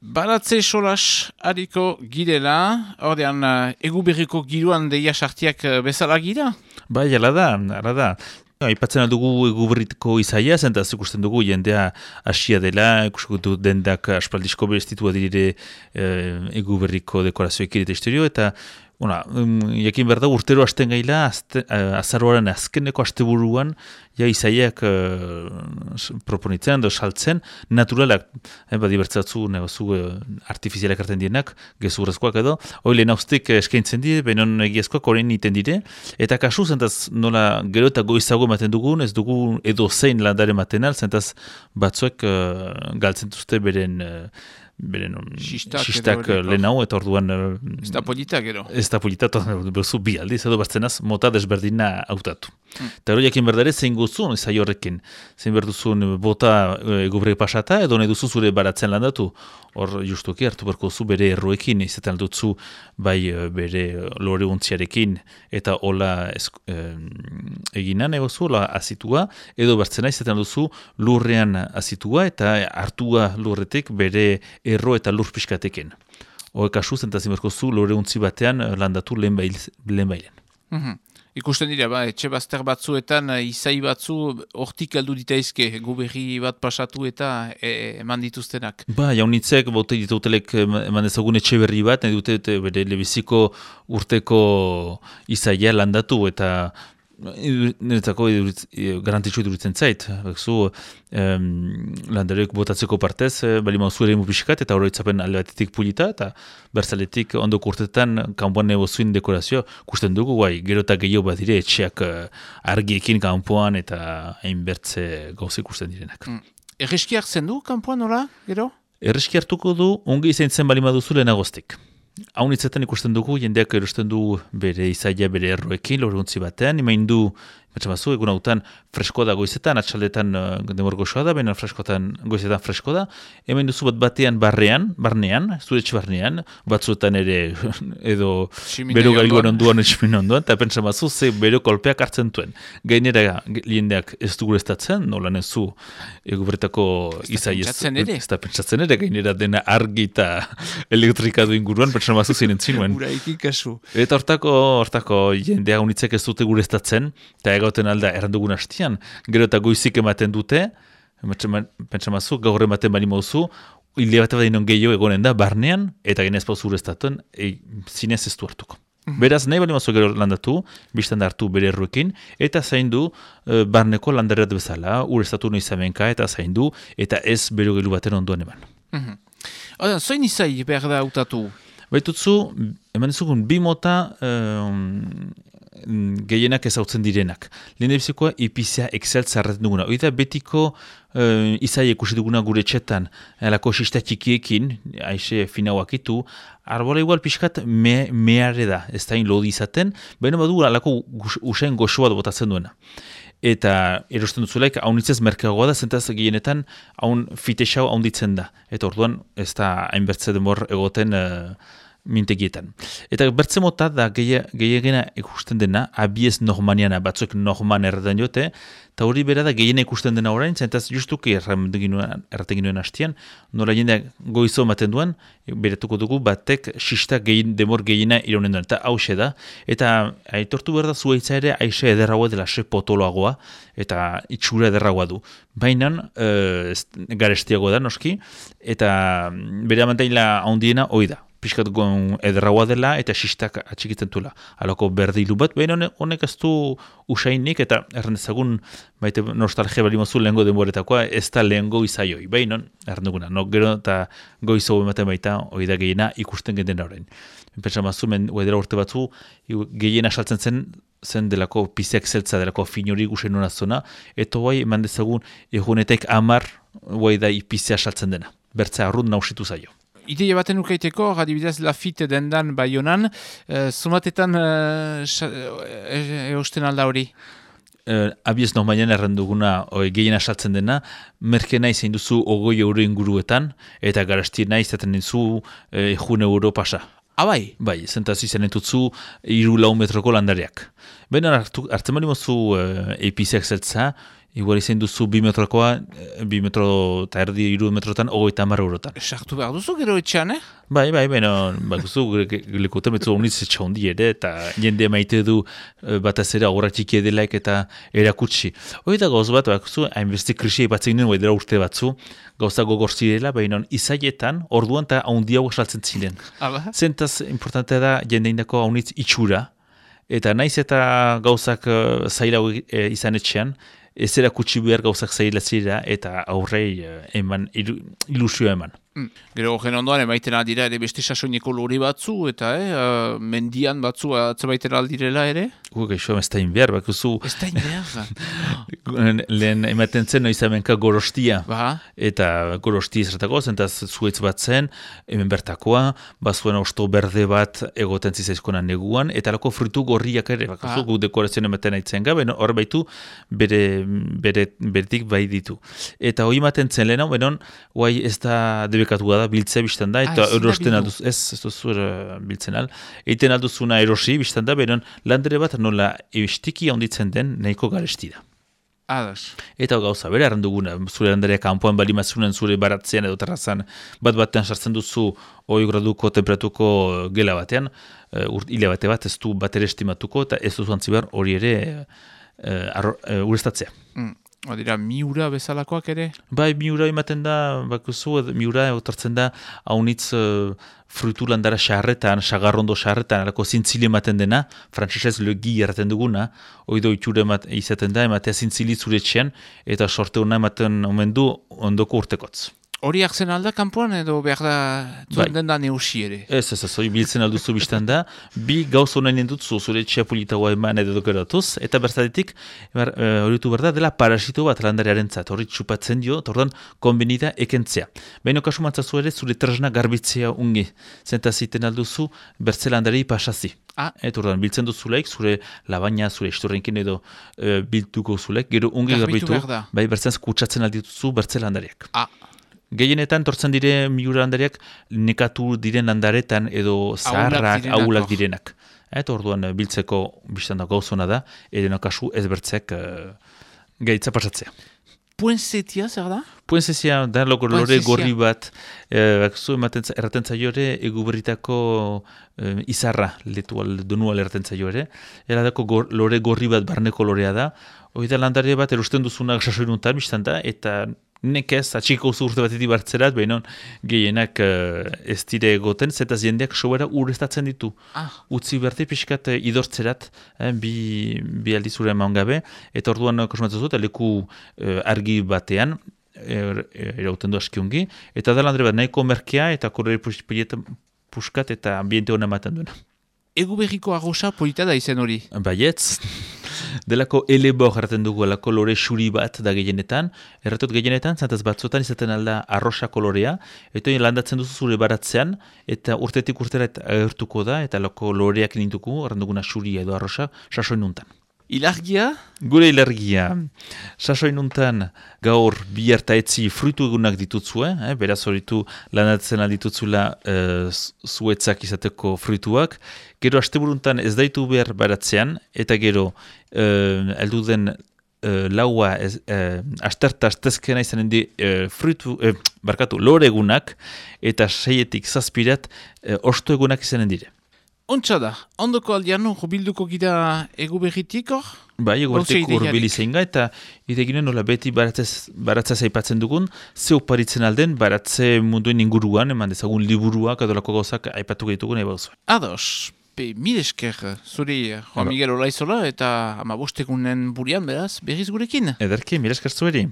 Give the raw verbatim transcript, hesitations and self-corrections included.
Baratze solas hariko girela, ordean uh, egu berriko giroan deia sartiak uh, bezala gira? Bai, ala da, ala da. Aipatzen aldugu egu berriko izaia, zentaz ikusten dugu jendea hasia dela, ikusten dendak aspaldisko bestitua dire eh, egu berriko dekorazioekin eta historio, eta Bona, um, jakin behar da, urtero hasten gaila, azte, uh, azaroaren azkeneko asteburuan, ja izaiak uh, proponitzen, do saltzen, naturalak, eh, badi bertzatzu, negozu, uh, artifizialak hartzen dienak, gezurrezkoak edo, hoi lehen hauztek eskaintzen dire, benon egiazkoak horrein iten dire, eta kasu, zentaz, nola gero eta goizago ematen dugun, ez dugu edo zein landare maten al, zentaz, batzuek uh, galtzen duzte beren... Uh, beren xistak lehen hau, eta orduan... Ez da polita, gero. Ez da polita, eta berzu bi aldiz, edo bartzenaz, mota desberdina hautatu. Hmm. Eta hori jakin berdare, zein guzun, zai horrekin. Zein berduzun bota egubre pasata, edo nahi duzu zure baratzen landatu. Hor, justuki, hartu berko zu bere erroekin, izaten dutzu bai bere lore untziarekin, eta hola eh, eginan egozu, hola azitua, edo bartzena izaten duzu lurrean azitua, eta hartua lurretik bere erro eta lur pixkateken. Hore kasu, zentazin berko zu lore untzi batean landatu lehen bailen. Mm-hmm. Ikusten dira, ba, etxe bazter batzuetan, izai batzu, hortik aldu ditaizke, guberri bat pasatu eta e, eman dituztenak. Ba, jaunitzek, bote ditutelek eman dezagun etxe berri bat, nahi dute bere lebiziko urteko izaia landatu eta niretzako garantitxo iduritzen zait. Zu, um, landareok botatzeko partez, bali mauzu ere mupiskat, eta horretzapen alde batetik pulita, eta berzaletik ondoko urtetan kanpoan negozuin dekorazio kusten dugu, guai, gero eta gehiago bat dire, etxeak argiekin kanpoan eta hain bertze gauzik kusten direnak. Mm. Erreski hartzen du kanpoan, nola, gero? Erreski hartuko du, ongi izan zen bali maduzu lehenagoztik. Haun itzetan ikusten dugu, jendeak erosten du bere izaia bere erroekin, loruntzi batean, imain du, matxamazu, egun hautan fresko da goizetan, atxaldetan uh, demor goxoa da, baina freskotan goizetan fresko da, hemen duzu bat batean barrean, barnean, zuretxe barnean, batzuetan ere edo bero gailuan onduan etximin onduan, eta pentsamazu ze bero kolpeak hartzen duen. Gainera jendeak ez dugu estatzen, nola nezu egubertako izaia ez da pentsatzen ere, gainera dena argi eta elektrika du inguruan, pentsamazu zinen zinuen. Uraikin kasu. Eta hortako, hortako jendea unitzek ez dute gure estatzen, eta egauten alda errandugun hastian, gero eta goizik ematen dute, pentsamazu, gaur ematen bani mauzu, hilde bat bat gehiago egonen da, barnean, eta genez pauzu urestatuen, e, zinez ez du hartuko. Mm-hmm. Beraz, nahi bali mazu gero landatu, biztan da hartu bere erruekin, eta zaindu e, barneko landareat bezala, urestatu noizamenka, eta zaindu, eta ez bero gelu baten onduan eman. Mm-hmm. Oda, zoin izai behar da hautatu? Baitutzu, eman ezugun, bi mota um, gehienak ezautzen direnak. Lehen ebizikoa, ipizia Excel zarraten duguna. Oida betiko uh, izai ekusi duguna gure txetan, alako sista txikiekin, aixe finauak itu, arbola igual pixkat me, meharre da, ez da lodi izaten, baina badu alako usain goxoa botatzen duena. Eta erosten duzulaik, haunitzez merkeagoa da, zentaz gehienetan haun fitexau haunditzen da. Eta orduan, ez da hainbertze demor egoten uh, mintegietan. Eta bertze mota da gehiagena ikusten dena, abiez normaniana, batzuek norman erraten jote, eta hori bera da gehiena ikusten dena orain, zentaz justuki erraten ginuen hastian, nola jendeak goizo ematen duen, beratuko dugu batek xista gehien, demor gehiena ironen duen, eta hause da, eta aitortu behar da zuaitza ere aixe ederragoa dela se potoloagoa, eta itxura ederragoa du. Baina, e, garestiagoa da noski, eta bere amantaila handiena hoi da. Piskat goen ederragoa dela eta xistak atxikitzen duela. Halako berdilu bat, behin honek ez du usainik eta errendezagun baite nostalgia bali mozu lehengo denboretakoa ez da lehengo izaioi. Behin hon, errenduguna, no, gero eta goizo ematen baita hori da gehiena ikusten genden horrein. Pentsa mazu, men uedera urte batzu, gehiena saltzen zen zen delako piziak zeltza, delako finori gusen hona zona, eta bai eman dezagun egunetek amar bai da ipizia saltzen dena. Bertza arrun nausitu zaio. Ideia baten ukaiteko, adibidez Lafite dendan Baionan, uh, zumatetan uh, eusten alda hori? Uh, abiez normainan erranduguna gehiena saltzen dena, merkena izan duzu ogoi euro inguruetan, eta garastirna izaten duzu uh, jun euro pasa. Abai? Bai, zentaz izan entutzu iru lau metroko landareak. Baina hartzen bali mozu uh, epiziak zeltza, igual izan duzu bi metrokoa, bi metro eta erdi iru metrotan, hogeita hamar eurotan. Sartu behar duzu gero etxean, eh? Bai, bai, baina, bakuzu, lekutan betzu honitz etxa hondi ere, eta jende maite du bataz ere aurrak txiki edelaik eta erakutsi. Hoi da gauz bat, bakuzu, hainbeste krisia ipatzen ginen, bai dela urte batzu, gauza gogor zirela, baina izaietan, orduan eta haundi hau esaltzen ziren. Zentaz, importantea da, jende indako haunitz itxura, eta naiz eta gauzak uh, zaila uh, izan etxean, ez erakutsi behar gauzak zaila zira, eta aurrei uh, eman, ilusioa eman. Mm. Gero horren ondoan, emaiten aldira ere beste sasoineko lori batzu, eta eh, uh, mendian batzu atzemaiten aldirela ere? Gu, gaixo, ez da inbiar, bakuzu. Ez da inbiar. Lehen ematen zen, noiz amenka gorostia. Ba. Eta gorostia zertako, zentaz zuetz bat zen, hemen bertakoa, bazuen osto berde bat egoten zizaizkonan neguan, eta lako frutu gorriak ere, bakuzu, gu dekorazioan ematen aitzen gabe, no? Hor baitu, bere, bere, beretik bai ditu. Eta hori ematen zen lehenan, benon, guai ez da debekatua da, biltzea biztan da, eta erosten alduz, ez, ez duzu uh, biltzen al, eiten alduzuna erosi biztan da, benon, landere bat nola estiki onditzen den nahiko garesti da. Adas. Eta gauza, bere arranduguna, zure landarea kanpoan bali mazunen zure baratzean edo terrazan bat batean sartzen duzu hoi graduko temperatuko gela batean, uh, hile bate bat ez du bat ere estimatuko, eta ez duzu antzibar hori ere uh, uh, urestatzea. Mm. Odira, miura bezalakoak ere? Bai, miura ematen da, bakuzu, miura otortzen da, haunitz uh, frutu landara xarretan, xagarrondo xarretan, alako zintzili ematen dena, frantzesez legi erraten duguna, oido itxura izaten da, ematea zintzili zuretxean, eta sorte hona ematen omen du ondoko urtekotz. Hori hartzen alda kanpoan edo behar da zuen den da neusi ere? Ez, ez, ez, hori biltzen alduzu biztan da, bi gauz honain endutzu zure txapulitagoa eman edo dokeratuz, eta bertadetik, hori du berda, dela parasito bat landarearen zat, hori txupatzen dio, eta ordan konbenida ekentzea. Baina kasu mantzazu ere zure tresna garbitzea ungi, zentaziten alduzu bertze landarei pasazi. Ah. Eta ordan biltzen duzulaik, zure labaina, zure istorrenkin edo e, biltuko zulaik, gero ungi garbitu, bai bertzen kutsatzen aldituzu bertze landariak. Ah. Gehienetan tortzen dire miura landariak nekatu diren landaretan edo zaharrak, ahulak direnak. Eta orduan biltzeko biztan da gauzona da, edeno kasu ezbertzek uh, gaitza pasatzea. Puenzetia, zer da? Puenzetia, da loko lore gorri bat, eh, zu ematen erraten zaiore, eguberritako eh, izarra, letu donual erraten zaiore, eradako gor, lore gorri bat barneko lorea da, hori da landare bat erusten duzunak sasoinuntan biztan da, eta nekez, atxiko urte batetik bartzerat, behinon gehienak uh, ez dire egoten, zetaz jendeak sobera urrestatzen ditu. Ah. Utzi berte pixkat uh, idortzerat, eh, bi, bi aldizure eman gabe, eta orduan kosumatzen zut, leku uh, argi batean, er, erauten du askiongi, eta da landare bat nahiko merkea, eta korre puskat eta ambiente hona ematen duena. Egu berriko arrosa polita da izen hori? Baietz. Delako elebor erraten dugu, alako lore xuri bat da gehienetan. Erratot gehienetan, zantaz batzotan izaten alda arrosa kolorea, eta landatzen duzu zure baratzean, eta urtetik urtera agertuko da, eta alako loreak nintuko, erranduguna xuri edo arrosa, sasoinuntan. Ilargia? Gure ilargia. Sasoinuntan gaur bihar eta etzi fruitu egunak ditutzue, eh? Beraz horitu landatzen alditutzula uh, zuetzak izateko fruituak. Gero asteburuntan ez daitu behar baratzean, eta gero uh, eldu den uh, laua ez, uh, asterta astezkena izanen di uh, fruitu, uh, barkatu, lore egunak, eta seietik zazpirat uh, osto egunak izanen dire. Ontsa da, ondoko aldean bilduko gira egu berritik hor? Bai, egu berritik urbili zein ga, eta ideginen nola beti baratzea zaipatzen dugun, ze oparitzen alden baratze munduen inguruan, eman dezagun liburuak, adolako gauzak aipatu gehitugun eba zuen. Ados, pe mil esker, zuri Juan Miguel Olaizola eta ama bostegunen burian beraz berriz gurekin. Ederki, mil esker zueri.